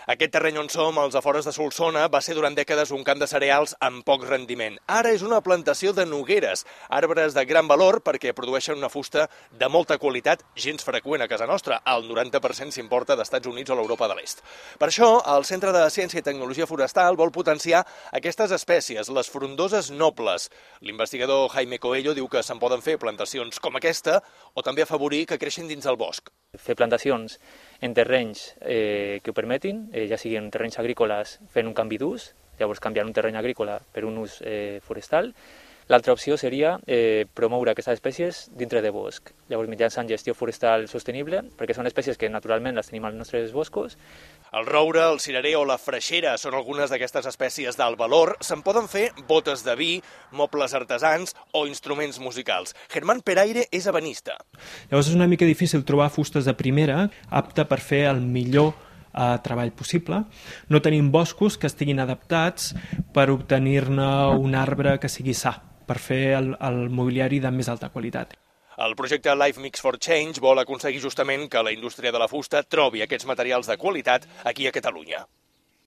Aquest terreny on som, als afores de Solsona, va ser durant dècades un camp de cereals amb poc rendiment. Ara és una plantació de nogueres, arbres de gran valor perquè produeixen una fusta de molta qualitat, gens freqüent a casa nostra. El 90% s'importa d'Estats Units o l'Europa de l'Est. Per això, el Centre de Ciència i Tecnologia Forestal vol potenciar aquestes espècies, les frondoses nobles. L'investigador Jaime Coello diu que se'n poden fer plantacions com aquesta o també afavorir que creixin dins el bosc. Fer plantacions en terrenys que ho permetin, ja siguin terrenys agrícoles fent un canvi d'ús, llavors canviant un terreny agrícola per un ús forestal. L'altra opció seria promoure aquestes espècies dintre de bosc, llavors mitjançant gestió forestal sostenible, perquè són espècies que naturalment les tenim als nostres boscos. El roure, el cirerer o la freixera són algunes d'aquestes espècies d'alt valor. Se'n poden fer botes de vi, mobles artesans o instruments musicals. Germán Peraire és ebenista. Llavors és una mica difícil trobar fustes de primera apta per fer el millor treball possible. No tenim boscos que estiguin adaptats per obtenir-ne un arbre que sigui sa, per fer el mobiliari de més alta qualitat. El projecte Life Mix for Change vol aconseguir justament que la indústria de la fusta trobi aquests materials de qualitat aquí a Catalunya.